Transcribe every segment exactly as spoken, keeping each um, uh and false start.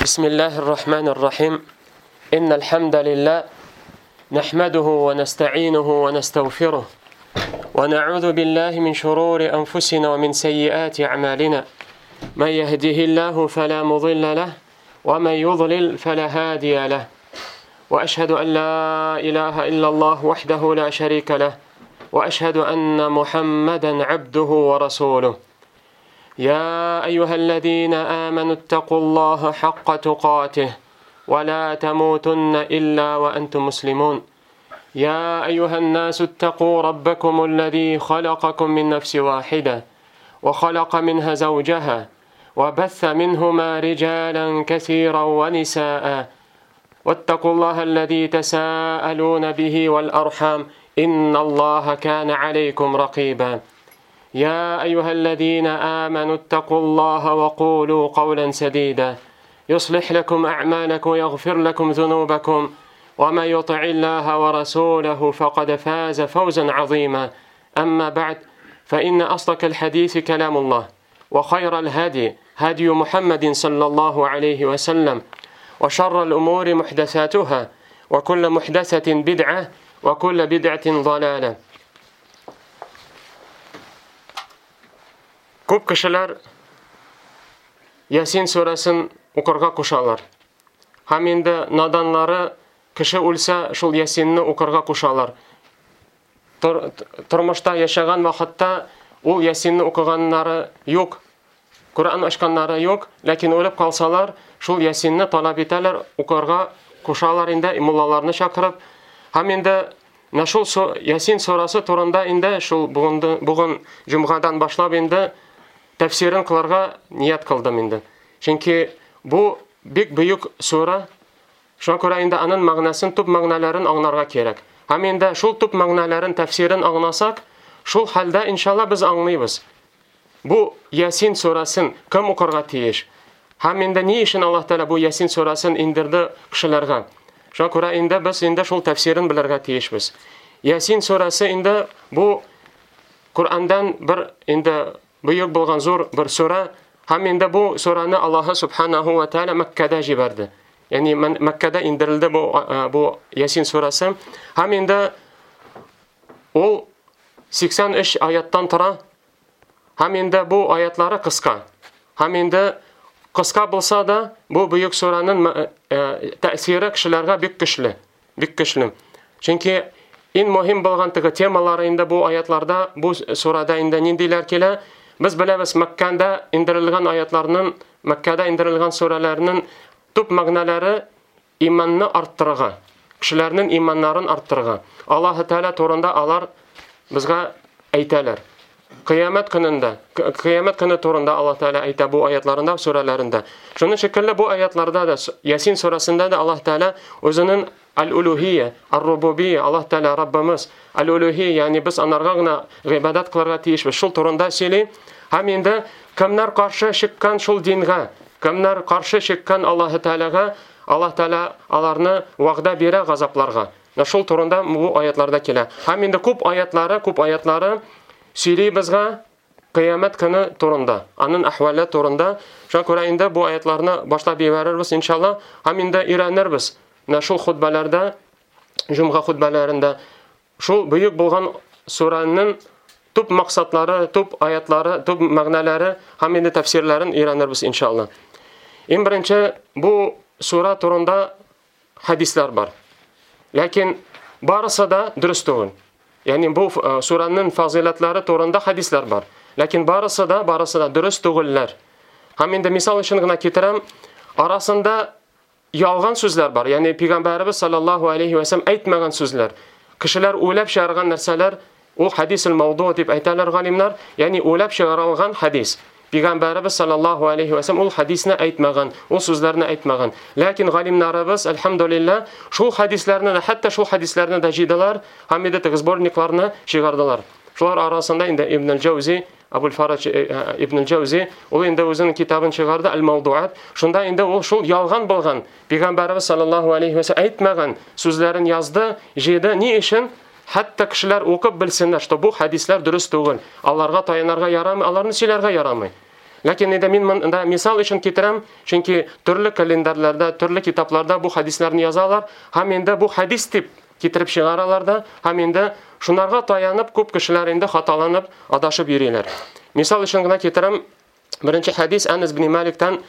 بسم الله الرحمن الرحيم. إن الحمد لله نحمده ونستعينه ونستغفره ونعوذ بالله من شرور أنفسنا ومن سيئات أعمالنا. من يهده الله فلا مضل له ومن يضلل فلا هادي له. وأشهد أن لا إله إلا الله وحده لا شريك له وأشهد أن محمدا عبده ورسوله. يا أيها الذين آمنوا اتقوا الله حق تقاته ولا تموتن إلا وأنتم مسلمون. يا أيها الناس اتقوا ربكم الذي خلقكم من نفس واحدة وخلق منها زوجها وبث منهما رجالا كثيرا ونساء واتقوا الله الذي تساءلون به والأرحام إن الله كان عليكم رقيبا. يا أيها الذين آمنوا اتقوا الله وقولوا قولا سديدا يصلح لكم أعمالكم ويغفر لكم ذنوبكم ومن يطع الله ورسوله فقد فاز فوزا عظيما. أما بعد، فإن أصدق الحديث كلام الله وخير الهدي هدي محمد صلى الله عليه وسلم وشر الأمور محدثاتها وكل محدثة بدعة وكل بدعة ضلالة. Күп кешеләр Ясин сүрәсен укырга кушалар. Һәм инде наданлары кеше үлсә шул Ясинне укырга кушалар. Тор, тормышта яшәгән вакытта ул Ясинне укыганнары юк, Коръән ачканнары юк, ләкин үлеп калсалар шул Ясинне таләп итәләр, укырга кушалар инде муллаларны чакырып. Һәм инде менә шул Ясин сүрәсе турында инде шул бүген бүген җомгадан башлап инде тәфсирен кылырга ният кылдым инде. Чөнки бу бик бөек сүрә, шуңа күрә инде аның мәгънәсен, төп мәгънәләрен аңларга кирәк. Һәм инде шул төп мәгънәләрен, тәфсирен аңласак, шул хәлдә иншалла без аңлыйбыз. Бу Ясин сүрәсен кем укырга тиеш? Һәм инде ни өчен Аллаһ Тәгалә бу Ясин сүрәсен индерде кешеләргә? Шуңа күрә инде без инде шул тәфсирен белергә тиешбез. Ясин сүрәсе инде бу Коръәндән бер инде бөек булган зур бер сүрә, һәм инде бу сүрәне Аллаһ субханаһу ва тааля Мәккәдә җибәрде. Ягъни Мәккәдә индерелде бу бу Ясин сүрәсе. Һәм инде ул сиксән өч аяттан тора. Һәм инде бу аятлары кыска. Һәм инде кыска булса да бу бөек сүрәнең тәэсире кешеләргә бик көчле, бик көчле. Чөнки иң мөһим булган теге темалары инде бу аятларда, бу сүрәдә инде ниндиләр килә? Без беләбез, Мәккәдә индерелгән аятларның, Мәккәдә индерелгән сүрәләрнең төп мәгънәләре иманны арттырырга, кешеләрнең иманнарын арттырырга. Аллаһ Тәгалә турында алар безгә әйтәләр. Кыямәт көнендә, кыямәт көне турында Аллаһ Тәгалә әйтә бу аятларында, сүрәләрендә. Шуның шикелле бу аятларда да, Ясин сүрәсендә дә Аллаһ Тәгалә үзенең Аль-Улюһия, Ар-Рубубия, Аллаһ Тәгалә Раббымыз, Аль-Улюһия, ягъни без анарга гына гыйбадәт кылырга тиешбез. Шул турында сөйли. Һәм инде кемнәр каршы чыккан шул дингә, кемнәр каршы чыккан Аллаһ Тәгаләгә, Аллаһ Тәгалә аларны вәгъдә бирә газапларга. Менә шул турында бу аятларда килә. Һәм инде күп аятлары, күп аятлары сөйли безгә кыямәт көне турында, аның әхвәле турында. Шуңа күрә инде бу аятларны башлап җибәрербез иншалла, һәм инде өйрәнербез. Менә шул хутбәләрдә, җомга хутбәләрендә шул бөек булган сүрәнең төп максатлары, төп аятлары, төп мәгънәләре һәм инде тәфсирләрен өйрәнербез иншалла. Иң беренче бу сүрә турында хадислар бар. Ләкин барысы да дөрес түгел. Ягъни бу сүрәнең фазыйләтләре турында хадислар бар. Ләкин барысы да, барысы да дөрес түгелләр. Һәм инде мисал өчен генә китерәм, арасында ялган сүзләр бар. Ягъни пәйгамбәребез саллаллаһу алейхи ва саллям әйтмәгән сүзләр. Кешеләр уйлап чыгарган нәрсәләр, ул хадисул мауду дип әйтәләр галимнәр, ягъни уйлап чыгарылган хадис. Пәйгамбәребез саллаллаһу алейхи ва саллям ул хадисне әйтмәгән, ул сүзләрне әйтмәгән. Ләкин галимнәребез әлхәмдүлилләһ шул хадисләрне дә, хәтта шул хадисләрне дә җыйдылар һәм инде теге сборникларны чыгардылар. Шулар арасында инде Ибн аль-Җаузи, Абул Фарадж Ибн аль-Җаузи, ул инде үзенең китабын чыгарды Аль-Мавдуат. Шунда инде ул шул ялган булган Пәйгамбәребез саллаллаһу алейхи ва саллям әйтмәгән сүзләрен язды, җыйды. Ни өчен? Хәтта кешеләр укып белсеннәр, что бу хадисләр дөрес түгел. Аларга таянарга ярамый, аларны сөйләргә ярамый. Ләкин инде мин монда мисал өчен китерәм, чөнки төрле календарьларда, төрле китапларда бу хадисларны язалар һәм инде бу хадис дип китереп чыгаралар да, һәм инде шунарга таянып күп кешеләр инде хаталанып, адашып йөриләр. Мисал өчен генә китерәм, беренче хадис Анас ибн Маликтан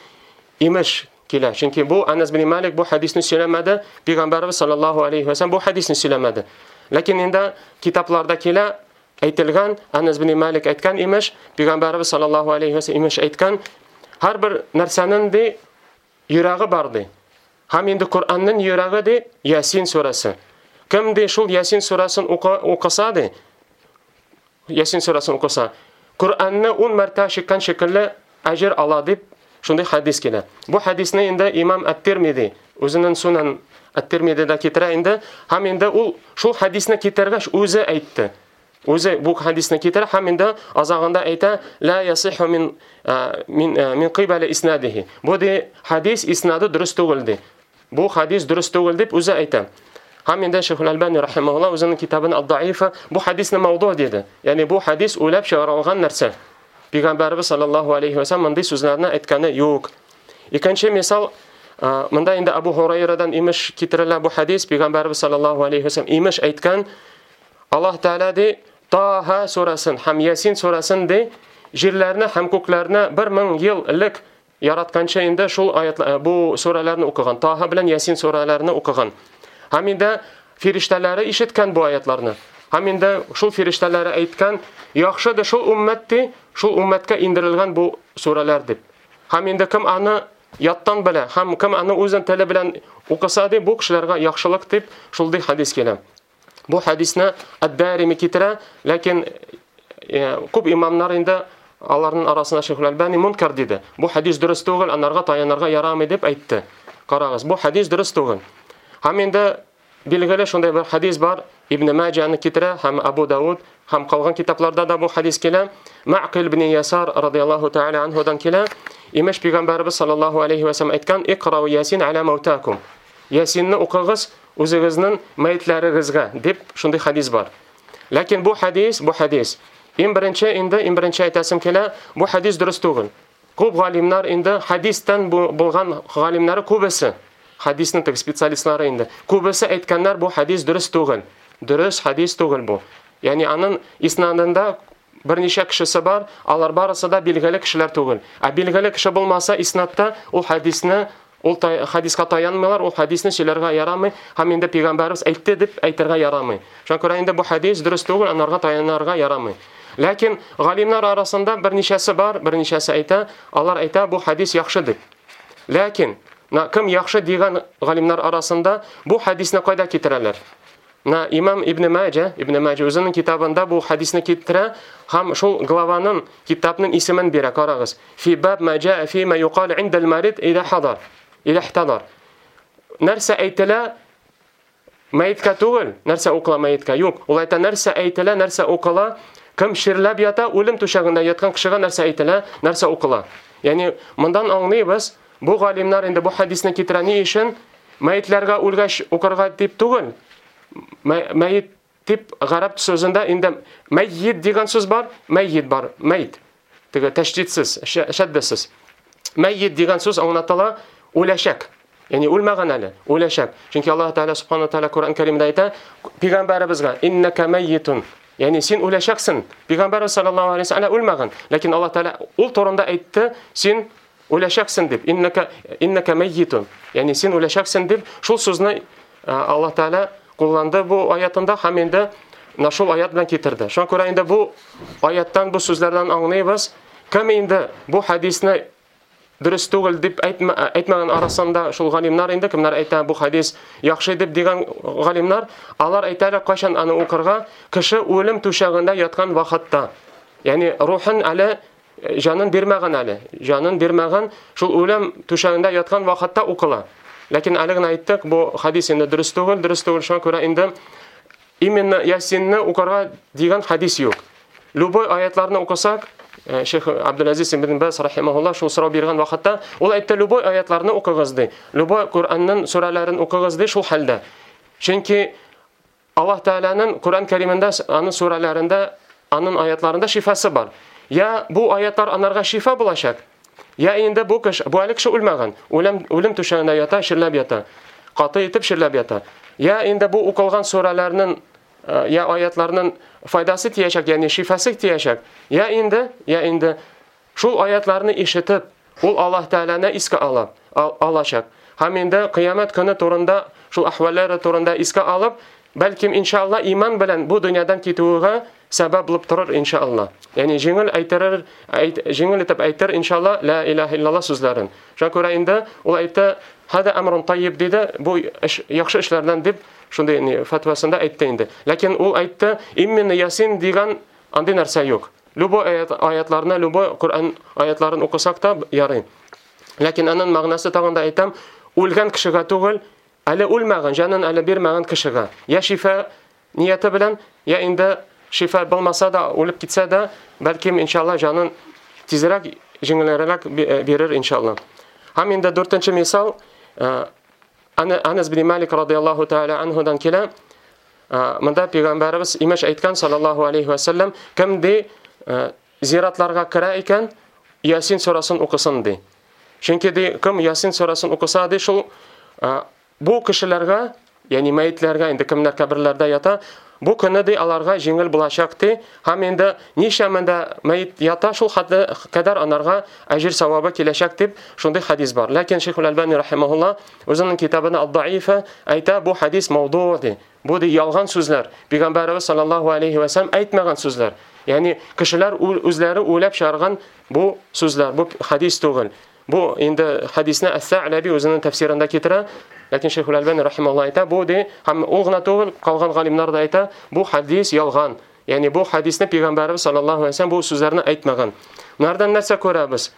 имеш килә. Чөнки бу Анас ибн Малик бу хадисны сөйләмәде, Пәйгамбәрбез саллаллаһу алейхи ва саллям бу хадисны сөйләмәде. Ләкин инде китапларда килә, әйтелгән, Анас ибн Малик әйткән имеш, Пәйгамбәрбез саллаллаһу алейхи ва саллям имеш әйткән, һәрбер нәрсәнең ди йөрәге бар ди. Һәм инде Коръәннең йөрәге ди Ясин сүрәсе. Кем ди шул Ясин сүрәсен укыса ди, Ясин сүрәсен укыса, Коръәнне ун мәртәбә чиккән шикелле әҗер ала дип шундый хадис килә. Бу хадисны инде имам Ат-Тирмизи үзенең Сунан Ат-Тирмизидә китерә инде, һәм инде ул шул хадисны китергәч үзе әйтте. Үзе бу хадисны китерә һәм инде азагында әйтә: "Ла ясиху мин мин мин кыйбали иснадихи". Бу ди хадис иснады дөрес түгел ди. Бу хадис дөрес түгел дип үзе әйтә. Һәм инде Шейх Аль-Албани рахимахуллах үзенең китабын Ад-Даифа бу хадисны мавду диде. Ягъни бу хадис уйлап чыгарылган нәрсә. Пәйгамбәрбез саллаллаһу алейхи ва саллям мондый сүзләрне әйткәне юк. Икенче мисал, монда инде Абу Һурайрадан имеш китерелә бу хадис, Пәйгамбәрбез саллаллаһу алейхи ва саллям имеш әйткән, Аллаһ Тааля ди Таһа сүрәсен һәм Ясин сүрәсен ди җирләрне һәм күкләрне бер мең ел элек яратканча инде шул аят, бу сүрәләрне укыган, Таһа белән Ясин сүрәләрне укыган. Һәм инде фирештәләре ишеткән бу аятларны. Һәм инде шул фирештәләре әйткән, яхшы да шул уммәт ди, шул уммәткә индерелгән бу сүрәләр дип. Һәм инде кем аны яттан белә, һәм кем аны үзен теле белән укыса ди, бу кешеләргә яхшылык дип шул ди хадис килә. Бу хадисны Ад-Дарими китерә, ләкин күп имамнар инде аларның арасында Шейх Аль-Албани мункар диде. Бу хадис дөрес түгел, анарга таянырга ярамый дип әйтте. Карагыз, бу хадис дөрес түгел. Һәм инде билгеле шундай бер хадис бар, Ибн Маҗаны китерә һәм Абу Дауд һәм калган китапларда да бу хадис килә. Маъқил ибн Ясар радияллаһу тааля анһудан килә. Имеш Пәйгамбәрбез саллаллаһу алейхи ва саллям әйткән: "Иқрау Ясин аля маутакум". Ясинны укыгыз үзегезнең мәетләрегезгә дип шундый хадис бар. Ләкин бу хадис, бу хадис иң беренче инде, иң беренче әйтәсем килә, бу хадис дөрес түгел. Күп галимнәр инде хадистан булган галимнәре күбесе, хадисның теге специалистлары инде, күбесе әйткәннәр бу хадис дөрес түгел. Дөрес хадис түгел бу. Ягъни аның иснадында берничә кешесе бар, алар барысы да билгеле кешеләр түгел. Ә билгеле кеше булмаса иснадта ул хадисны, ул хадиска таянмыйлар, ул хадисны сөйләргә ярамый һәм инде пәйгамбәрбез әйтте дип әйтергә ярамый. Шуңа күрә инде бу хадис дөрес түгел, анарга таянырга ярамый. Ләкин галимнәр арасында берничәсе бар, берничәсе әйтә, алар әйтә бу хадис яхшы дип. Ләкин на кем яхшы дигән галимнәр арасында бу хадисны кайда китерәләр? На имам Ибн Маҗа, Ибн Маҗа үзенең китабында бу хадисны китерә һәм шул главаның, китапның исемен бирә, карагыз. Фи баб ма җаа фи ма юқал инда ал-марид ида хадар, ида ихтадар. Нәрсә әйтелә мәеткә түгел, нәрсә укыла мәеткә? Юк, ул әйтә нәрсә әйтелә, нәрсә укыла, кем ширләп ята, үлем түшәгендә яткан кешегә нәрсә әйтелә, нәрсә укыла. Ягъни мондан аңлыйбыз, бу галимнәр инде бу хадисны китерә ни өчен? Мәетләргә үлгәч укырга дип түгел. Мәет дип гарәп сүзендә инде мәйит дигән сүз бар, мәйит бар, мәйт. Теге тәшдидсез, шәддәсез. Мәйит дигән сүз аңлатыла үләчәк. Ягъни үлмәгән әле, үләчәк. Чөнки Аллаһ Тааля субхана тааля Коръән Кәримдә әйтә, пәйгамбәребезгә иннәкә мәйитун. Ягъни син үләчәксең. Пәйгамбәрбез саллаллаһу алейһи ва саллям үлмәгән, ләкин Аллаһ Тааля ул турында әйтте, син үләчәксең дип. Иннәкә, иннәкә мәйитун. Ягъни син үләчәксең дип шул сүзне Аллаһ Тааля кулланды бу аятында һәм инде менә шул аят белән китерде. Шуңа күрә инде бу аяттан, бу сүзләрдән аңлыйбыз, кем инде бу хадисны дөрес түгел дип әйтмә, әйтмәгән арасында шул галимнәр инде, кемнәр әйтә бу хадис яхшы дип дигән галимнәр, алар әйтәләр кайчан аны укырга, кеше үлем түшәгендә яткан вакытта. Ягъни рухын әле җанын бирмәгән әле, җанын бирмәгән, шул үлем түшәгендә яткан вакытта укыла. Ләкин әле генә әйттек, бу хадис инде дөрес түгел, дөрес түгел, шуңа күрә инде именно Ясинны укырга дигән хадис юк. Любой аятларны укысак, Шейх Абдулазиз ибн Баз рахимахуллах шул сорау биргән вакытта, ул әйтте, любой аятларны укыгыз ди, любой Коръәннең сүрәләрен укыгыз ди шул хәлдә. Чөнки Аллаһ Тааляның Коръән Кәримендә, аның сүрәләрендә, аның аятларында шифасы бар. Я бу аятлар анарга шифа булачак, Я инде бу кеше, бу әле кеше үлмәгән, үлем, үлем түшәгендә ята, чирләп ята. Каты итеп чирләп ята. Я инде бу укылган сүрәләрнең, я аятларның файдасы тиячәк, ягъни шифасы тиячәк. Я инде, я инде шул аятларны ишетеп, ул Аллаһ Тәгаләне искә ала, алачак. Һәм инде кыямәт көне турында, шул әхвәлләре турында искә алып, бәлкем иншалла иман белән бу дөньядан китүгә сәбәп булып торыр иншалла. Ягъни җиңел әйтерер, әйт, җиңел итеп әйтер иншалла ла илаһа иллаллаһ сүзләрен. Шуңа күрә инде ул әйтте, хада амрун тайиб диде, бу эш, яхшы эшләрдән дип шундый ни фәтвасында әйтте инде. Ләкин ул әйтте, именно Ясин дигән андый нәрсә юк. Любой аят, аятларны, любой Коръән аятларын укысак та ярый. Ләкин аның мәгънәсе тагын да әйтәм, үлгән кешегә түгел, әле үлмәгән, җанын әле бирмәгән кешегә. Я шифа нияте белән, я инде шифа булмаса да, үлеп китсә дә, бәлкем иншалла җанын тизрәк, җиңелрәк бирер иншалла. Һәм инде дүртенче мисал, Анас бин Малик радияллаһу тааля анһудан килә. Монда пәйгамбәребез имеш әйткән саллаллаһу алейхи ва саллям, кем ди зиратларга керә икән, Ясин сурасын укысын ди. Чөнки ди, кем Ясин сурасын укыса ди, шул бу кешеләргә, ягъни мәетләргә, инде кемнәр каберләрдә ята, бу көне ди аларга җиңел булачак ди. Һәм инде ничә меңдә мәет ята, шул хәтле кадәр анарга әҗер савабы киләчәк дип шундый хадис бар. Ләкин Шейхул Әлбани рахимаһулла үзенең китабында Ад-Даифа әйтә, бу хадис мауду ди. Бу ди ялган сүзләр. Пәйгамбәребез саллаллаһу алейхи ва саллям әйтмәгән сүзләр. Ягъни кешеләр үзләре уйлап чыгарган бу сүзләр, бу хадис түгел. Бу инде хадисне Әс-Сә'ләби үзенең тәфсирендә китерә. Ләкин Шейхул Әлбани рахимаһулла әйтә, бу ди, һәм ул гына түгел, калган галимнәр дә әйтә, бу хадис ялган. Ягъни бу хадисне Пәйгамбәребез саллаллаһу алейһи ва саллям бу сүзләрне әйтмәгән. Монардан нәрсә күрәбез?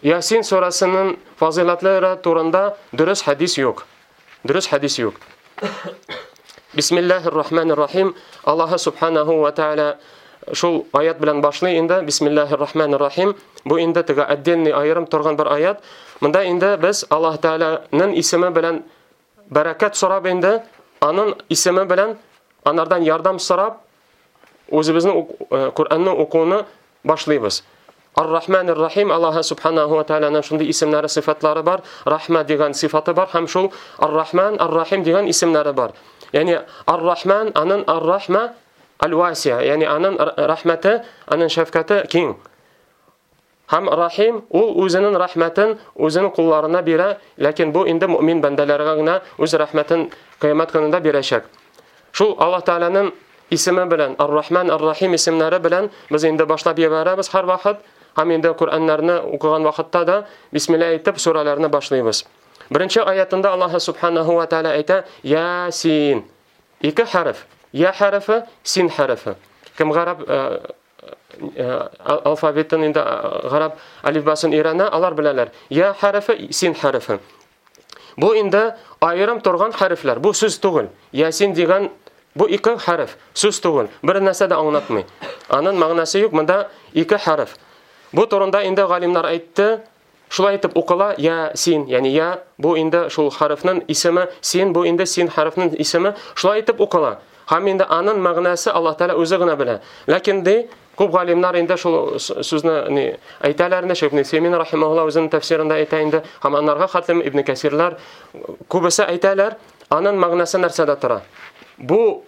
Ясин сурасының фазыйлатлары турында дөрес хадис юк. Дөрес хадис юк. Бисмиллаһир рахманир рахим. Аллаһ субханаһу ва тааля шул аят белән башлый инде. Бисмиллаһир рахманир рахим. Бу инде теге отдельный аерым торган бер аят. Монда инде без Аллаһ Тааляның исеме белән бәрәкәт сорап инде, аның исеме белән анардан ярдәм сорап, үзебезнең Коръәнне укуны башлыйбыз. Ар-Рахманир Рахим, Аллаһ субханаһу ва тааляның шундый исемнәре, сыйфатлары бар. Рахма дигән сыйфаты бар һәм шул Ар-Рахман, Ар-Рахим дигән исемнәре бар. Ягъни Ар-Рахман, аның Ар-Рахма аль-Васиа, ягъни аның рәхмәте, аның шәфкате киң. Һәм Рахим, ул үзенең рәхмәтен үзенең кулларына бирә, ләкин бу инде мөмин бәндәләргә генә үз рәхмәтен кыямәт көнендә бирәчәк. Шул Аллаһ Тааляның исеме белән, Ар-Рахман, Ар-Рахим исемнәре белән без инде башлап җибәрәбез һәр вакыт. Һәм инде Коръәннәрне укыган вакытта да бисмилла әйтеп сүрәләрне башлыйбыз. Беренче аятында Аллаһ субханаһу ва тааля әйтә: Ясин. Ике хәреф. Я хәрефе, син хәрефе. Кем гарәп алфавитын инде гарәп алифбасын өйрәнә, алар беләләр. Я хәрефе, син хәрефе. Бу инде аерым торган хәрефләр. Бу сүз түгел. Ясин дигән бу ике хәреф, сүз түгел. Бер нәрсә дә аңлатмый. Аның мәгънәсе юк, монда ике хәреф. Бу турында инде галимнәр әйтте. Шулай итеп укыла я син, ягъни я бу инде шул хәрефнең исеме, син бу инде син хәрефнең исеме. Шулай итеп укыла. Һәм инде аның мәгънәсе Аллаһ Тааля үзе генә белә. Ләкин ди күп галимнәр инде шул сүзне ни әйтәләр инде, Шейх Ибн Симин рахимаһулла үзенең тәфсирендә әйтә инде, һәм аннарга хәтлем Ибн Кәсирләр күбесе әйтәләр, аның мәгънәсе нәрсәдә тора? Бу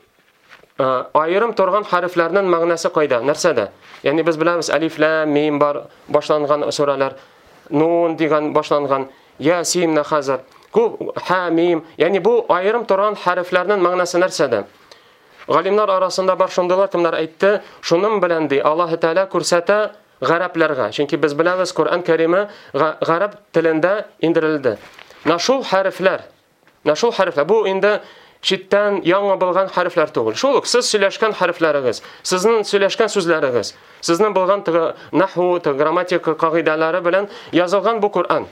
аерым торган хәрефләрнең мәгънәсе кайда? Нәрсәдә? Ягъни без беләбез, алиф, лам, мим бар башланган сүрәләр, нун дигән башланган, я, син, на хәзер. Күп ха, мим, ягъни бу аерым торган хәрефләрнең мәгънәсе нәрсәдә? Галимнәр арасында бар шундыйлар, кемнәр әйтте, шуның белән ди Аллаһ Тааля күрсәтә гарәпләргә. Чөнки без беләбез, Коръән Кәриме гарәп телендә индерелде. Менә шул хәрефләр, менә шул хәрефләр, бу инде читтән яңа булган хәрефләр түгел. Шул ук сез сөйләшкән хәрефләрегез, сезнең сөйләшкән сүзләрегез, сезнең булган теге наху, теге грамматика кагыйдәләре белән язылган бу Коръән.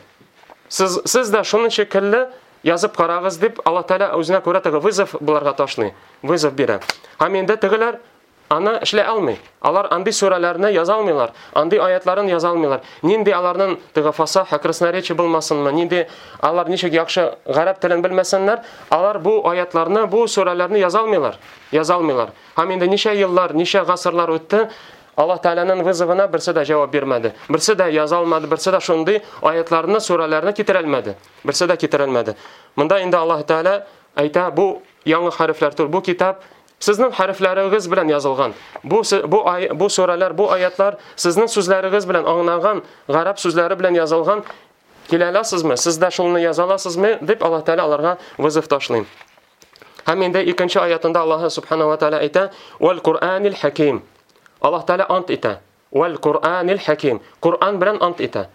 Сез, сез дә шуның шикелле язып карагыз дип Аллаһ Тааля үзенә күрә теге вызов буларга ташлый, вызов бирә. Һәм инде тегеләр аны эшләй алмый. Алар андый сүрәләрне яза алмыйлар, андый аятларын яза алмыйлар. Нинди аларның теге фасаха, красноречие булмасынмы, нинди алар ничек яхшы гарәп телен белмәсеннәр, алар бу аятларны, бу сүрәләрне яза алмыйлар, яза алмыйлар. Һәм инде ничә еллар, ничә гасырлар үтте, Аллаһ Тәгаләнең вызовына берсе дә җавап бирмәде. Берсе дә яза алмады, берсе дә шундый аятларны, сүрәләрне китерә алмады. Берсе дә китерә алмады. Монда инде Аллаһ Тәгалә әйтә, бу яңа хәрефләр түгел, бу китап сезнең хәрефләрегез белән язылган. Бу бу бу сүрәләр, бу аятлар сезнең сүзләрегез белән аңланган, гарәп сүзләре белән язылган. Килә аласызмы? Сез дә шуны яза аласызмы? Дип Аллаһ Тәгалә аларга вызов ташлый. Һәм инде икенче аятында Аллаһ Субханаһу ва Тәгалә әйтә: "Вал Куръанил Хаким". Аллаһ Тәгалә ант итә. Вал Куръанил Хаким. Куръан белән ант итә.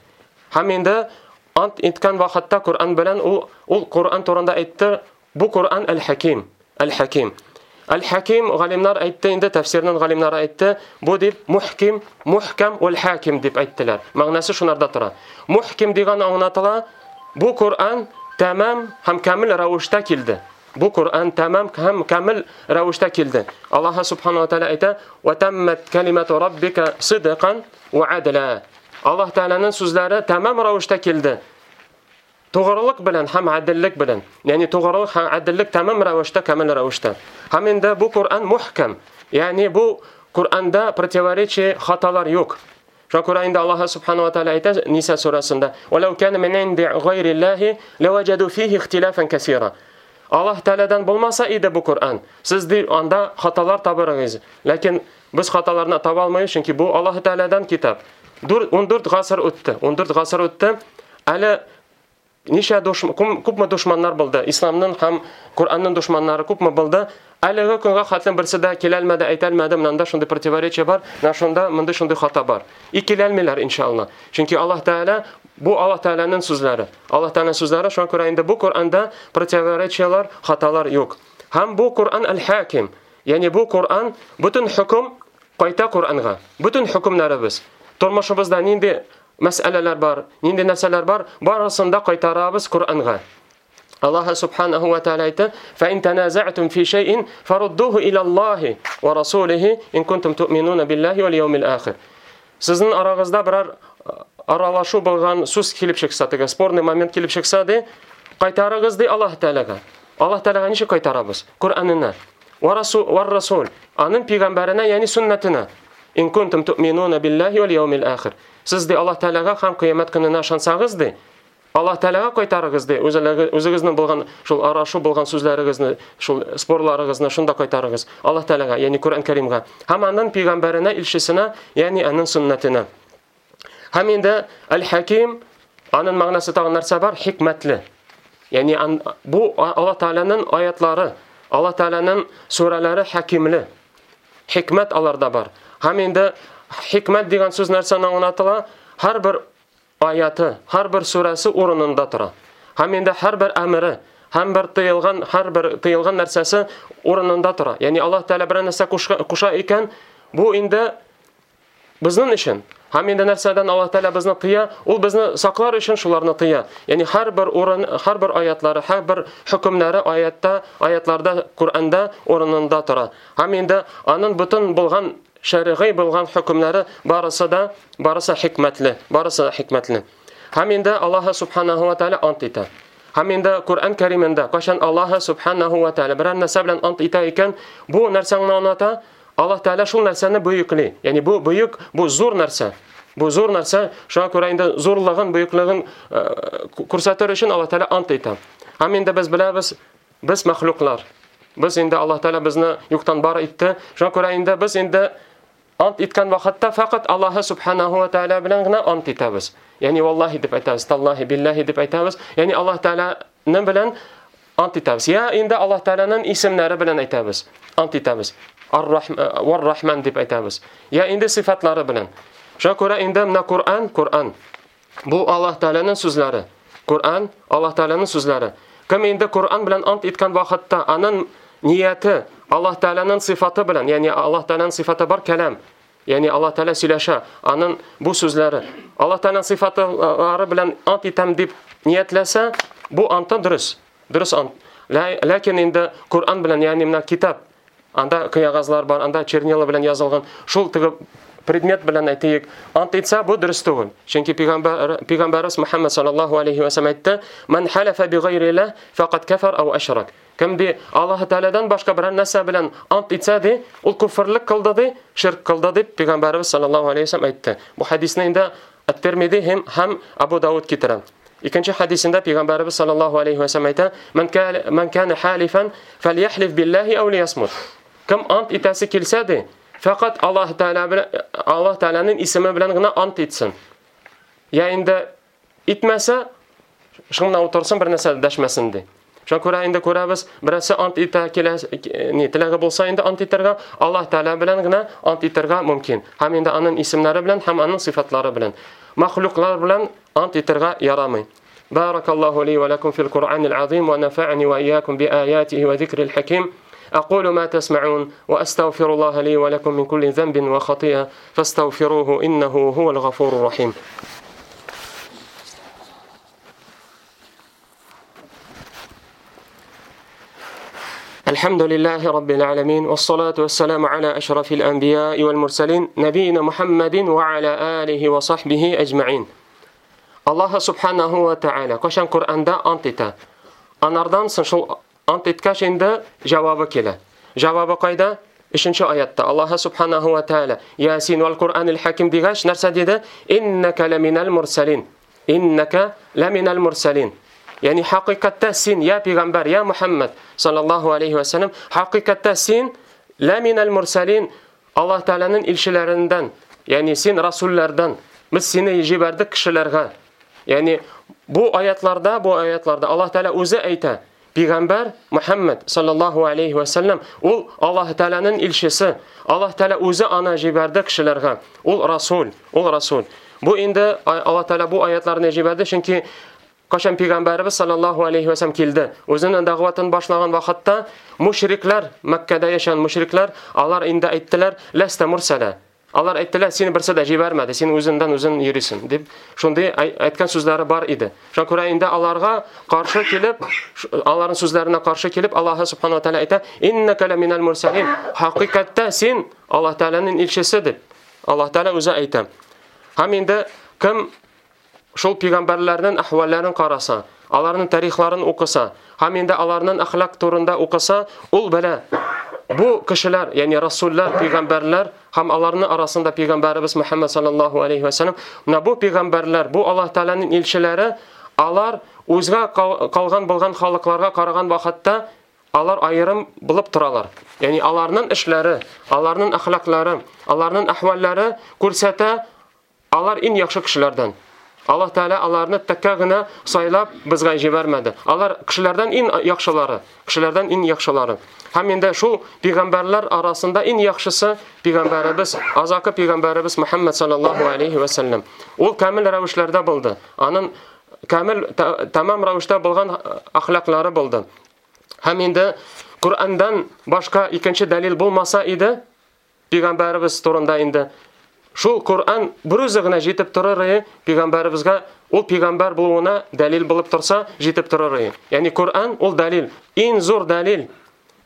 Һәм инде ант иткән вакытта Куръан белән ул ул Куръан турында әйтте. Бу Куръан әл-Хаким, әл-Хаким. Әл-Хаким галимнар әйтте инде, тәфсирнең галимнары әйтте, бу дип мухким, мухкам вал хаким дип әйттеләр. Мәгънәсе шунарда тора. Мухким дигән аңлатыла, бу Куръан тәмам һәм камил рәвештә килде. Бу Куръан тәмам һәм камил рәвештә килде. Аллаһ субханаһу ва тааля әйтә: "Ва таммат калимату раббика сидқан ва адла". Аллаһ Тәгаләнең сүзләре тәмам рәвештә килде. Тугрылык белән һәм гаделлек белән. Ягъни тугрылык һәм гаделлек тәмам рәвештә, камил рәвештә. Һәм инде бу Куръан мухкам. Ягъни бу Куръанда противоречие, хаталар юк. Шуңа күрә инде Аллаһ субханаһу ва тааля әйтә Ниса сүрәсендә: "Валау кана мин инди гайриллаһи лаваҗаду фихи ихтилафан касира". Аллаһ Тәгаләдән булмаса иде бу Куръан, сез ди анда хаталар табырыгыз. Ләкин без хаталарны таба алмыйбыз, чөнки бу Аллаһ Тәгаләдән китап. ун дүрт гасыр үтте. ун дүрт гасыр үтте. Әле ничә дошман, күпме дошманнар булды? Исламның һәм Куръанның дошманнары күпме булды? Әлеге көнгә хәтле берсе дә килә алмады, әйтә алмады, монда шундый противоречие бар, менә шунда мондый шундый хата бар. И килә алмыйлар иншалла. Чөнки Аллаһ Тәгалә бу Аллаһ Тәгаләнең сүзләре. Аллаһ Тәгаләнең сүзләре, шуңа күрә инде бу Куръанда противоречиелар, хаталар юк. Һәм бу Куръан әл-Хаким, ягъни бу Куръан бөтен хөкем кайта Куръанга. Бөтен хөкемнәребез, тормышыбызда нинди мәсьәләләр бар, нинди нәрсәләр бар, барысын да кайтарабыз Куръанга. Аллаһ субханаһу ва тааля әйтә: "Фа ин таназа'тум фи шай'ин фаруддуху ила Аллаһи ва расулихи ин кунтум ту'минуна биллаһи вал яумил ахир". Сезнең арагызда берәр аралашу булган сүз килеп чыкса, теге спорный момент килеп чыкса, ди, кайтарыгыз ди Аллаһ Тәгаләгә. Аллаһ Тәгаләгә ничек кайтарабыз? Куръанына. Ва расул ва расул, аның пәйгамбәренә, ягъни суннатына. Ин кунтум ту'минуна биллаһи вал яумил ахир. Сез ди Аллаһ Тәгаләгә һәм кыямәт көненә ышансагыз ди, Аллаһ Тәгаләгә кайтарыгыз ди, үзегезнең булган шул арашу булган сүзләрегезне, шул спорларыгызны шунда кайтарыгыз. Аллаһ Тәгаләгә, ягъни Куръан Кәримгә, һәм аның пәйгамбәренә, илчесенә, ягъни аның суннатына. Һәм инде әл-Хаким, аның мәгънәсе тагын нәрсә бар? Хикмәтле. Ягъни бу Аллаһ Тәгаләнең аятлары, Аллаһ Тәгаләнең сүрәләре хакимле. Хикмәт аларда бар. Һәм инде хикмәт дигән сүз нәрсәне аңлатыла? Һәрбер аяты, һәрбер сүрәсе урынында тора. Һәм инде һәрбер әмере, һәм бер тыелган, һәрбер тыелган нәрсәсе урынында тора. Ягъни Аллаһ Тәгалә бер нәрсә куша икән, бу инде безнең өчен. Һәм инде нәрсәдән Аллаһ Тәгалә безне тыя, ул безне саклар өчен шуларны тыя. Ягъни һәрбер урын, һәрбер аятлары, һәрбер хөкемнәре аятта, аятларда, Куръанда урынында тора. Һәм инде аның бөтен булган шәригый булган хөкемнәре барысы да, барысы хикмәтле, барысы хикмәтле. Һәм инде Аллаһ субханаһу ва тааля ант итә. Һәм инде Куръан Кәримендә кайчан Аллаһ субханаһу ва тааля берәр нәрсә белән ант итә икән, бу нәрсәне аңлата, Аллаһ Тәгалә шул нәрсәне бөекли. Ягъни бу бөек, бу зур нәрсә. Бу зур нәрсә, шуңа күрә инде зурлыгын, бөеклеген күрсәтер өчен Аллаһ Тәгалә ант итә. Һәм инде без беләбез, без мәхлуклар. Без инде Аллаһ Тәгалә безне юктан бар итте. Шуңа күрә инде без инде ант иткән вакытта фақат Аллаһ субханаһу ва тааля белән генә ант итәбез. Ягъни валлаһи дип әйтәбез, таллаһи, биллаһи дип әйтәбез. Ягъни Аллаһ Тәгаләнең белән ант итәбез. Я инде Аллаһ Тәгаләнең исемнәре белән әйтәбез, ант итәбез. Ар-Рахман дип әйтәбез. Я инде сифатлары белән. Шуңа күрә инде менә Куръан, Куръан. Бу Аллаһ Тәгаләнең сүзләре. Куръан Аллаһ Тәгаләнең сүзләре. Кем инде Куръан белән ант иткән вакытта аның нияте Аллаһ Тәгаләнең сифаты белән, ягъни Аллаһ Тәгаләнең сифаты бар кәлам. Ягъни Аллаһ Тәгалә сөйләшә, аның бу сүзләре Аллаһ Тәгаләнең сифатлары белән ант итәм дип ниятләсә, бу анты дөрес. Дөрес ант. Ләкин инде Куръан белән, ягъни менә китап, анда кыягазлар бар, анда чернила белән язылган, шул теге предмет белән әйтик, ант итсә, бу дөрес түгел. Чөнки пәйгамбәр пәйгамбәрбез Мөхәммәд саллаллаһу алейхи ва сәлләм әйтте: "Ман халафа бигайрилlah фақад кафар ау ашрак." Кем ди Аллаһ Тәгаләдән башка берәр нәрсә белән ант итсә ди, ул күферлек кылды ди, ширк кылды дип пәйгамбәрбез саллаллаһу алейхи ва сәлләм әйтте. Бу хадисне инде Ат-Тирмизи һәм һәм Абу Дауд китерә. Икенче хадисендә пәйгамбәрбез саллаллаһу алейхи ва сәлләм әйтә: "Ман кана ман кана халифан фальяхлиф биллаһи ау лиясмут." Кем ант итәсе килсә ди, фақат Аллаһ Тәгалә белән Аллаһ Тәгаләнең исеме белән генә ант итсен. Я инде итмәсә, шуңа утырсын, бер нәрсә дәшмәсен ди. Шуңа күрә инде күрәбез, берәрсе ант итә килә, ни теләге булса инде ант итәргә, Аллаһ Тәгалә белән генә ант итәргә мөмкин. Һәм инде аның исемнәре белән һәм аның сыйфатлары белән. Махлуклар белән ант итәргә ярамый. Баракаллаһу ли ва лакум фил Куръанил азим ва нафа'ани ва iyyakum би аятихи ва зикрил хаким. أقول ما تسمعون وأستغفر الله لي ولكم من كل ذنب وخطيئة فاستغفروه إنه هو الغفور الرحيم. الحمد لله رب العالمين والصلاة والسلام على أشرف الأنبياء والمرسلين نبينا محمد وعلى آله وصحبه أجمعين. الله سبحانه وتعالى قشان قرآن دا أنتتا أناردان سنشل ант иткәч инде җавабы килә. Җавабы кайда? Өченче аятта Аллаһ субханаһу ва тааля Ясин вал Куръанил хаким дигәч нәрсә диде? Иннака ламинал мурсалин. Иннака ламинал мурсалин. Ягъни хакыйкатьтә син я пәйгамбәр, я Мухаммад саллаллаһу алейхи ва саллям, хакыйкатьтә син ламинал мурсалин, Аллаһ Тааляның илчеләреннән, ягъни син расуллардан. Без сине җибәрдек кешеләргә. Ягъни бу аятларда, бу аятларда Аллаһ Тааля үзе әйтә. Пәйгамбәр Мухаммад саллаллаһу алейхи ва саллям ул Аллаһ Тааляның илчесе. Аллаһ Тааля үзе аны җибәрде кешеләргә. Ул расул, ул расул. Бу инде Аллаһ Тааля бу аятларны җибәрде, чөнки кашан пәйгамбәрбез саллаллаһу алейхи ва саллям килде. Үзенең дәгъватын башлаган вакытта мушриклар, Мәккәдә яшәгән мушриклар, алар инде әйттеләр: "Ласта мурсала." Алар әйттеләр, сине берсе дә җибәрмәде, син үзеңдән үзең йөрисең дип, шундый әйткән сүзләре бар иде. Шуңа күрә инде аларга каршы килеп, аларның сүзләренә каршы килеп, Аллаһ субханаһу ва тааля әйтә: "Иннака ламинал мурсалин." Хакыйкатьтә син Аллаһ Тааляның илчесе дип Аллаһ Тааля үзе әйтә. Һәм инде кем шул пәйгамбәрләрнең әхвәлләрен караса, аларның тарихларын укыса, һәм инде аларның әхлак турында укыса, ул белә. Бу кешеләр, ягъни расуллар, пәйгамбәрләр һәм аларның арасында пәйгамбәребез Мухаммад саллаллаһу алейхи ва саллям, менә бу пәйгамбәрләр, бу Аллаһ Тааляның илчеләре, алар үзгә калган булган халыкларга караган вакытта алар аерым булып торалар. Ягъни аларның эшләре, аларның әхлаклары, аларның әхвәлләре күрсәтә, алар иң яхшы кешеләрдән. Аллаһ Тааля аларны тәккә генә сайлап безгә җибәрмәде. Алар кешеләрдән иң яхшылары, кешеләрдән иң яхшылары. Һәм инде шул пәйгамбәрләр арасында иң яхшысы пәйгамбәребез, азакы пәйгамбәребез Мухаммад саллаллаһу алейхи ва саллям. Ул камил рәвешләрдә булды. Аның камил тамам рәвештә булган әхлаклары булды. Һәм инде Куръандан башка икенче дәлил булмаса иде, пәйгамбәребез турында инде шул Куръан бер үзе генә җитеп торыр иде, пәйгамбәребезгә ул пәйгамбәр булуына дәлил булып торса, җитеп торыр иде. Ягъни Куръан ул дәлил, иң зур дәлил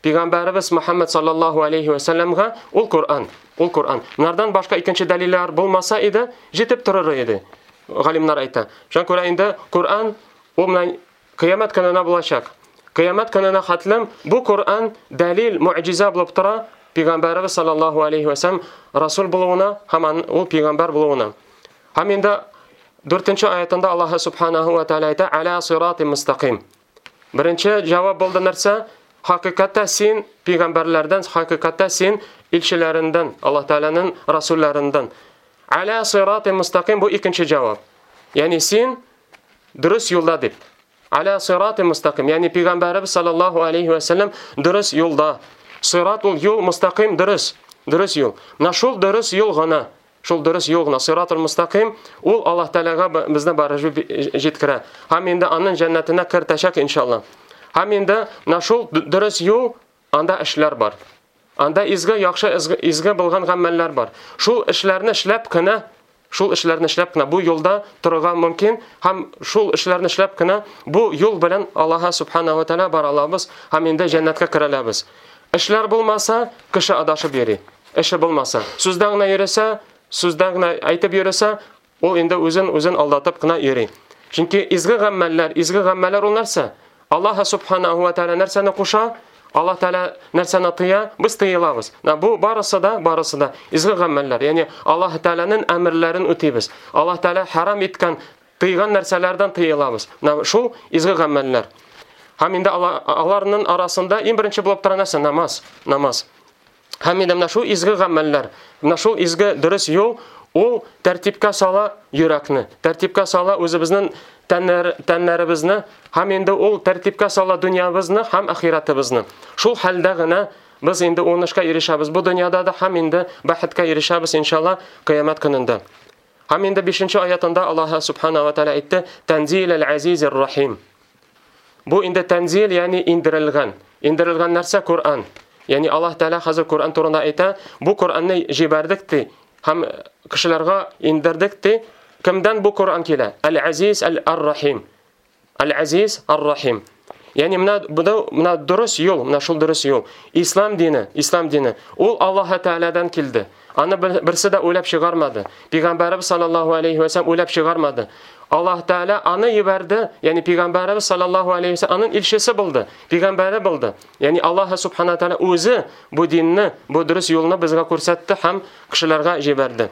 пәйгамбәребез Мухаммад саллаллаһу алейхи ва саллямга ул Куръан, ул Куръан. Монардан башка икенче дәлилләр булмаса иде, җитеп торыр иде. Галимнәр әйтә. Шуңа күрә инде Куръан ул менә кыямәт көненә булачак. Кыямәт көненә хәтлем бу Куръан дәлил, муъҗиза булып тора пәйгамбәребез саллаллаһу алейхи ва саллям расул булуына һәм ул пәйгамбәр булуына. Һәм инде дүртенче аятында Аллаһ субханаһу ва тааля әйтә: "Аля сирати мустақим." Беренче җавап булды нәрсә? Хакыйкатьтә син пәйгамбәрләрдән, хакыйкатьтә син илчеләреннән, Аллаһ Тааляның расулларыннан. Аля сирати мустақим бу икенче җавап. Ягъни син дөрес юлда дип. Аля сирати мустақим, ягъни пәйгамбәребез саллаллаһу алейхи ва саллям дөрес юлда. Сират ул юл, мустақим дөрес, дөрес юл. Менә шул дөрес юл гына, шул дөрес юл гына, сиратул мустақим, ул Аллаһ Тааляга безне барып җиткерә. Һәм инде аның җәннәтенә кертәчәк иншалла. Һәм инде менә шул дөрес юл, анда эшләр бар. Анда изге, яхшы, изге, изге булган гамәлләр бар. Шул эшләрне эшләп кенә, шул эшләрне эшләп кенә бу юлда торырга мөмкин һәм шул эшләрне эшләп кенә бу юл белән Аллаһ субханаһу ва тааля бара алабыз һәм инде җәннәткә керә алабыз. Эшләр булмаса, кеше адашып йөри. Эше булмаса, сүздән генә йөресә, сүздән генә әйтеп йөресә, ул инде үзен үзен алдатып кына йөри. Чөнки изге гамәлләр, изге гамәлләр ул нәрсә? Аллаһ субханаһу ва тааля нәрсәне куша? Аллаһ Тааля нәрсәне тыя? Без тыелабыз. Бу барысы да, барысы да изге гамәлләр. Ягъни Аллаһ Тааляның әмерләрен үтибез. Аллаһ Тааля харам иткән, тыйган нәрсәләрдән тыелабыз. Менә шул изге гамәлләр. Һәм инде аларның арасында иң беренче булып тора нәрсә? Намаз, намаз. Һәм инде менә шул изге гамәлләр, менә шул изге дөрес юл, ул тәртипкә сала йөрәкне, тәртипкә сала үзебезнең тәннәр, тәннәребезне, һәм инде ул тәртипкә сала дөньябызны һәм ахиратыбызны. Шул хәлдә генә без инде уңышка ирешәбез бу дөньяда да, һәм инде бәхеткә ирешәбез иншалла кыямәт көнендә. Һәм инде бишенче аятында Аллаһ субхана ва тааля әйтте: "Танзилал азизир рахим". Бу инде танзил, ягъни индерелгән. Индерелгән нәрсә Коръән. Ягъни Аллаһ Тааля хәзер Коръән турында әйтә, бу Коръәнне җибәрдек ди, һәм кешеләргә индердек ди. Кемдән бу Коръән килә? Әл-Азиз Әл-Рахим. Әл-Азиз Ар-Рахим. Ягъни менә бу менә дөрес юл, менә шул дөрес юл. Ислам дине, ислам дине. Ул Аллаһ Таалядан килде. Аны берсе дә уйлап чыгармады. Пәйгамбәрбез саллаллаһу алейхи ва саллям уйлап чыгармады. Аллаһ Тааля аны җибәрде, ягъни Пәйгамбәрбез саллаллаһу алейхи ва саллям аның илчесе булды, пәйгамбәре булды. Ягъни Аллаһ субхана тааля үзе бу динне, бу дөрес юлны безгә күрсәтте һәм кешеләргә җибәрде.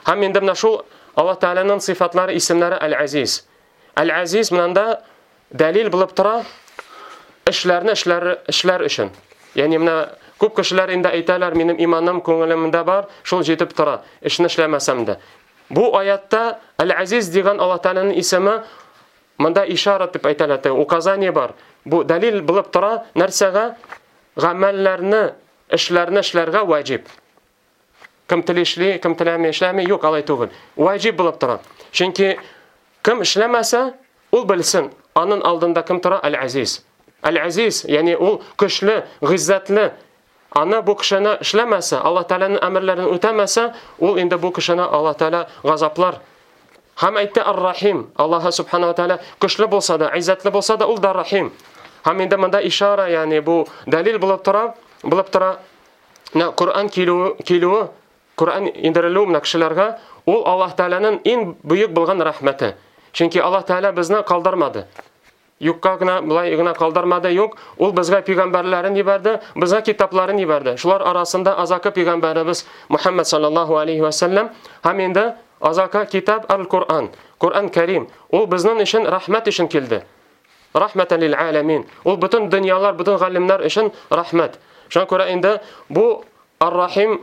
Һәм инде менә шул Аллаһ Тааляның сыйфатлары, исемнәре Әл-Азиз. Әл-Азиз монда дәлил булып тора эшләрне эшләр, эшләр өчен. Ягъни менә күп кешеләр инде әйтәләр, минем иманым күңелемдә бар, шул җитеп тора, эшне эшләмәсәм дә. Бу аятта Әл-Азиз дигән Аллаһ Тааляның исеме монда ишара дип әйтелә, указание бар. Бу дәлил булып тора нәрсәгә? Гамәлләрне, эшләрне эшләргә ваҗиб. Кем тели эшли, кем теләми эшләми, юк, алай түгел. Ваҗиб булып тора. Чөнки кем эшләмәсә, ул белсен, аның алдында кем тора? Әл-Азиз. Әл-Азиз, ягъни ул көчле, гыйззәтле. Аны бу кешене эшләмәсә, Аллаһ Тааляның әмерләрен үтәмәсә, ул инде бу кешене Аллаһ Тааля газаплар. Һәм әйтте Ар-Рахим. Аллаһ субхана ва тааля көчле булса да, гыйззәтле булса да, ул да Рахим. Һәм инде монда ишара, ягъни бу дәлил булып тора, булып тора. Менә Коръән килүе, килүе, Коръән индерелүе менә кешеләргә, ул Аллаһ Тааляның иң бөек булган рәхмәте. Чөнки Аллаһ Тааля безне калдырмады. Юкка гына, былай гына калдырмады, юк. Ул безгә пәйгамбәрләрен җибәрде, безгә китапларын җибәрде. Шулар арасында азакы пәйгамбәребез Мухаммад саллаллаһу алейхи ва саллям һәм инде азакы китап Әл-Коръән, Коръән Кәрим. Ул безнең өчен рәхмәт өчен килде. Рәхмәтән лил аламин. Ул бөтен дөньялар, бөтен галимнәр өчен рәхмәт. Шуңа күрә инде бу Ар-Рахим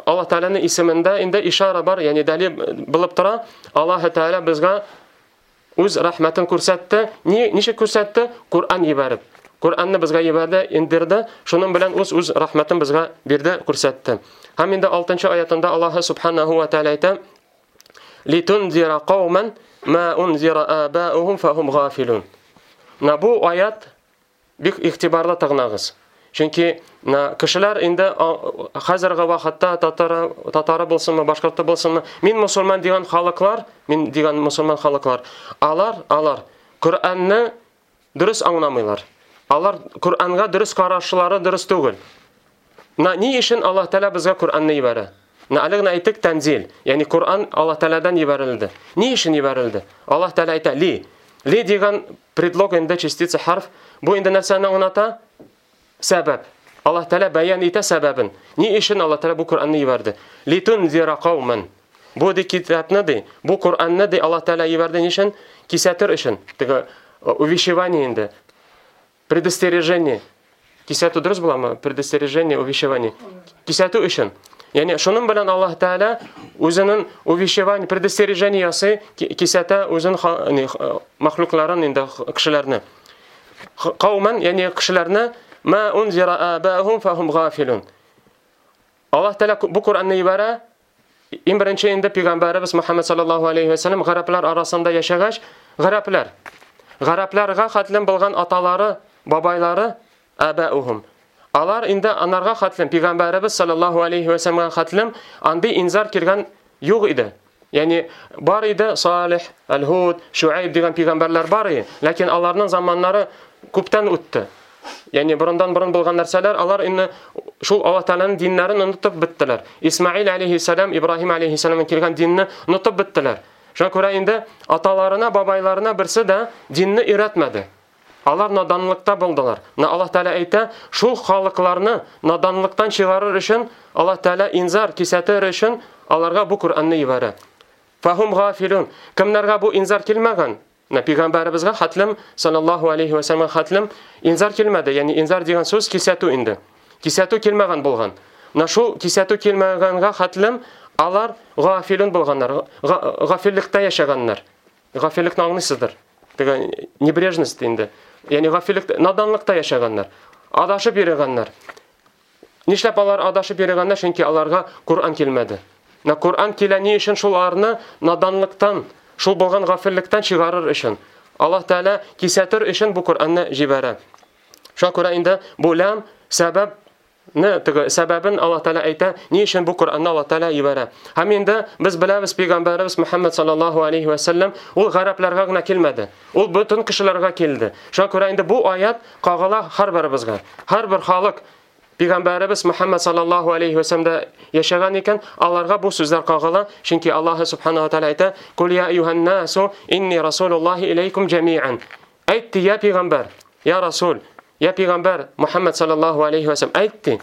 Аллаһ Тааляның исемендә инде ишара бар, ягъни дәлил булып тора. Аллаһ Тааля безгә үз рәхмәтен күрсәтте. Ни, ничек күрсәтте? Коръән җибәреп. Коръәнне безгә җибәрде, индерде. Шуның белән үз үз рәхмәтен безгә бирде, күрсәтте. Һәм инде алтынчы аятында Аллаһ субханаһу ва тааля әйтә: "Литунзира кауман ма унзира абаухум фахум гафилун". Менә бу аят бик игътибарлы тыңлагыз. Чөнки менә кешеләр инде хәзерге вакытта татары, татары булсынмы, башкорты булсынмы, мин мусульман дигән халыклар, мин дигән мусульман халыклар, алар, алар Коръәнне дөрес аңламыйлар. Алар Коръәнгә дөрес карашлары дөрес түгел. Менә ни өчен Аллаһ Тааля безгә Коръәнне җибәрә? Менә әле генә әйттек танзил, ягъни Коръән Аллаһ Таалядан җибәрелде. Ни өчен җибәрелде? Аллаһ Тааля әйтә ли. Ли дигән предлог инде частица харф. Бу инде нәрсәне аңлата? Сәбәп. Аллаһ Тааля бәян итә сәбәбен. Ни өчен Аллаһ Тааля бу Коръәнне җибәрде? Литунзира кауман. Бу ди китапны ди, бу Коръәнне ди Аллаһ Тааля җибәрде ни өчен? Кисәтер өчен. Теге увещевание инде. Предостережение. Кисәтү дөрес буламы? Предостережение, увещевание. Кисәтү өчен. Ягъни шуның белән Аллаһ Тааля үзенең увещевание, предостережение ясый, кисәтә үзен махлукларын инде кешеләрне. Кауман, ягъни кешеләрне ма унзира абаухум фахум гафилун. Аллаһ Тааля бу Коръәнне җибәрә. Иң беренче инде пәйгамбәребез Мухаммад саллаллаһу алейхи ва саллям гарәпләр арасында яшәгәч, гарәпләр, гарәпләргә хәтлем булган аталары, бабайлары абаухум. Алар инде анарга хәтлем пәйгамбәребез саллаллаһу алейхи ва саллямга хәтлем андый инзар килгән юк иде. Ягъни бар иде Салих, Әл-Һуд, Шуайб дигән пәйгамбәрләр бар иде, ләкин аларның заманнары күптән үтте. Ягъни борындан борын булган нәрсәләр, алар инде шул Аллаһ Тәгаләнең диннәрен онытып беттеләр. Исмаил алейһиссалам, Ибраһим алейһиссалам килгән динне онытып беттеләр. Шуңа күрә инде аталарына, бабайларына берсе дә динне өйрәтмәде. Алар наданлыкта булдылар. Менә Аллаһ Тәгалә әйтә, шул халыкларны наданлыктан чыгарыр өчен Аллаһ Тәгалә инзар кисәтер өчен аларга бу Коръәнне җибәрә. Фахум гафилун. Кемнәргә бу инзар килмәгән? Менә пәйгамбәребезгә хәтлем саллаллаһу алейхи ва саллям хәтлем инзар килмәде. Ягъни инзар дигән сүз кисәтү инде. Кисәтү килмәгән булган. Менә шул кисәтү килмәгәнгә хәтлем алар гафилун булганнар, гафиллектә яшәгәннәр. Гафиллекне аңлыйсыздыр. Теге небрежность инде. Ягъни гафиллек, наданлыкта яшәгәннәр. Адашып йөргәннәр. Нишләп алар адашып йөргәннәр? Чөнки аларга Коръән килмәде. Менә Коръән килә ни өчен? Шул аларны наданлыктан, шул булган гафиллектән чыгарыр өчен. Аллаһ Тәгалә кисәтер өчен бу Коръәнне җибәрә. Шуңа күрә инде бу лам сәбәп не теге сәбәбен Аллаһ Тәгалә әйтә, ни өчен бу Коръәнне Аллаһ Тәгалә җибәрә. Һәм инде без беләбез, пәйгамбәребез Мөхәммәд саллаллаһу алейхи ва саллям ул гарәпләргә генә килмәде. Ул бөтен кешеләргә килде. Шуңа күрә инде бу аят кагыла һәрберебезгә. Һәрбер халык пәйгамбәребез Мөхәммәд саллаллаһу алейхи ва саллямда яшәгән икән, аларга бу сүзләр кагыла. Чөнки Аллаһ субханаһу ва тааля әйтә: "Кул я айюһан насу инни расулуллаһи илейкум җамиан." Әйтте я пәйгамбәр, я расул, я пәйгамбәр Мөхәммәд саллаллаһу алейхи ва саллям әйтте: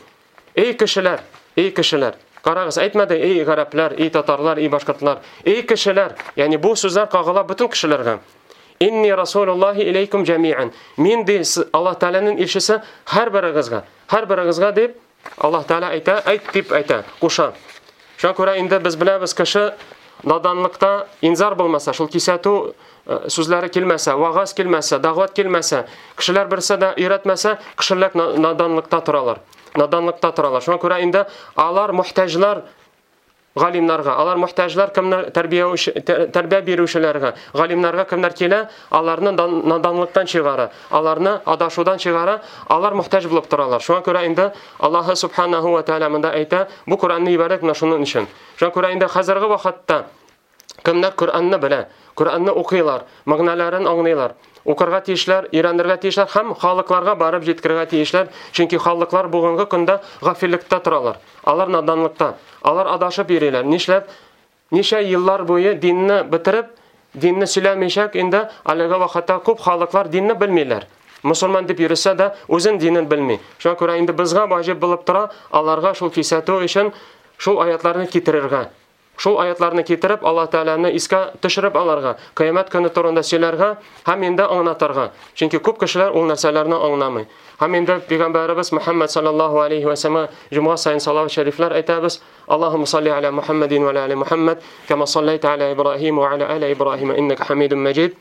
"Эй кешеләр, эй кешеләр." Карагыз, әйтмәде эй гарәпләр, эй татарлар, эй башкортлар, эй кешеләр. Ягъни бу сүзләр кагыла бөтен кешеләргә. Инни расулуллаһи илейкум җамиан. Мин ди Аллаһ Тәгаләнең илчесе һәрберегезгә, һәрберегезгә дип Аллаһ Тәгалә әйтә, әйт дип әйтә, куша. Шуңа күрә инде без беләбез, кеше наданлыкта инзар булмаса, шул кисәтү сүзләре килмәсә, вагаз килмәсә, дәгъват килмәсә, кешеләр берсе дә өйрәтмәсә, кешеләр наданлыкта торалар. Наданлыкта торалар. Шуңа күрә инде алар мохтаҗлар галимнарга, алар мохтаҗлар кемнәр тәрбия тәрбия бирүчеләргә, галимнарга кемнәр килә, аларны наданлыктан чыгара, аларны адашудан чыгара, алар мохтаҗ булып торалар. Шуңа күрә инде Аллаһ субханаһу ва тааля монда әйтә, бу Коръәнне җибәрдек менә шуның өчен. Шуңа күрә инде хәзерге вакытта кемнәр Коръәнне белә, Коръәнне укыйлар, мәгънәләрен аңлыйлар, укырга тиешләр, өйрәнергә тиешләр һәм халыкларга барып җиткерергә тиешләр, чөнки халыклар бүгенге көндә гафиллектә торалар. Алар наданлыкта, алар адашып йөриләр. Нишләп? Ничә еллар буе динне бетереп, динне сөйләмичәк, инде әлеге вакытта күп халыклар динне белмиләр. Мусульман дип йөрсә дә, үзен динен белми. Шуңа күрә инде безгә ваҗиб булып тора, аларга шул кисәтү өчен шул аятларны китерергә. Шул аятларны китереп, Аллаһ Тәгаләне искә төшереп аларга, кыямәт көне турында сөйләргә һәм инде аңлатырга. Чөнки күп кешеләр ул нәрсәләрне аңламый. Һәм инде пәйгамбәребез Мөхәммәд саллаллаһу алейхи ва саллям җомга саен салават шәрифләр әйтәбез. Аллаһумма салли аля Мухаммадин ва аля али Мухаммад, кама саллайта аля Ибраһим ва аля али Ибраһим иннака Хамидум Маҗид.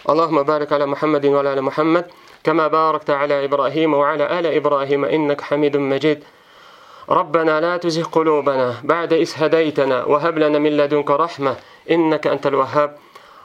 Аллаһумма барик аля Мухаммадин ва аля али Мухаммад, кама баракта аля Ибраһим ва аля али Ибраһим иннака Хамидум Маҗид. ربنا لا تزغ قلوبنا بعد إذ هديتنا وهب لنا من لدنك رحمة إنك أنت الوهاب.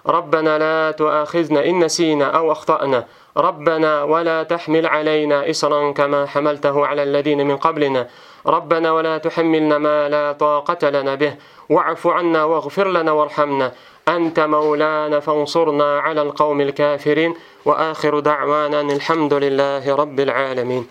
ربنا لا تؤاخذنا إن نسينا أو أخطأنا. ربنا ولا تحمل علينا إصرا كما حملته على الذين من قبلنا. ربنا ولا تحملنا ما لا طاقة لنا به واعف عنا واغفر لنا وارحمنا أنت مولانا فانصرنا على القوم الكافرين. وآخر دعوانا أن الحمد لله رب العالمين.